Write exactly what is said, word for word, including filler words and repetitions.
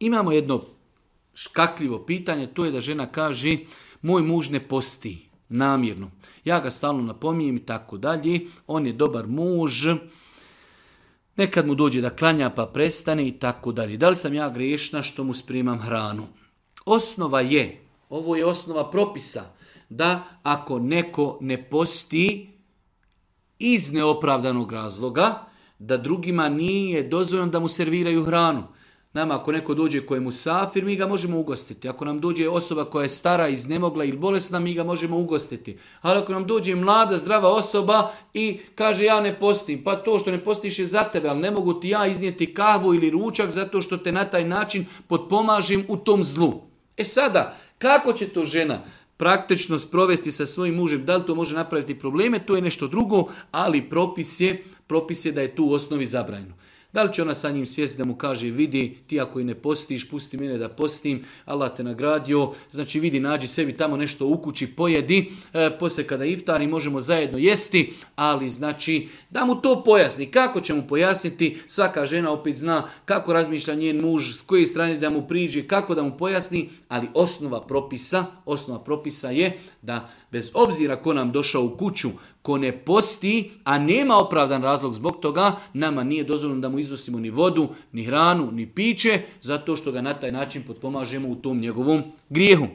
Imamo jedno škakljivo pitanje, to je da žena kaže moj muž ne posti namjerno. Ja ga stalno napominjem i tako dalje. On je dobar muž. Nekad mu dođe da klanja pa prestane i tako dalje. Da li sam ja grešna što mu spremam hranu? Osnova je, ovo je osnova propisa, da ako neko ne posti iz neopravdanog razloga, da drugima nije dozvoljeno da mu serviraju hranu. Nama ako neko dođe koji je musafir, mi ga možemo ugostiti. Ako nam dođe osoba koja je stara, iznemogla ili bolesna, mi ga možemo ugostiti. Ali ako nam dođe mlada, zdrava osoba i kaže ja ne postim, pa to što ne postiš je za tebe, ali ne mogu ti ja iznijeti kahvu ili ručak zato što te na taj način potpomažem u tom zlu. E sada, kako će to žena praktično sprovesti sa svojim mužem, da li to može napraviti probleme, to je nešto drugo, ali propis je, propis je da je tu u osnovi zabranjeno. Da li će ona sa njim sjesti da mu kaže vidi ti ako i ne postiš, pusti mene da postim, Allah te nagradio, znači vidi nađi sebi tamo nešto u kući, pojedi, e, poslije kada iftari možemo zajedno jesti, ali znači da mu to pojasni. Kako će mu pojasniti, svaka žena opet zna kako razmišlja njen muž, s koje strane da mu priđe, kako da mu pojasni, ali osnova propisa, osnova propisa je da bez obzira ko nam došao u kuću, ko ne posti, a nema opravdan razlog zbog toga, nama nije dozvoljeno da mu iznosimo ni vodu, ni hranu, ni piće, zato što ga na taj način potpomažemo u tom njegovom grijehu.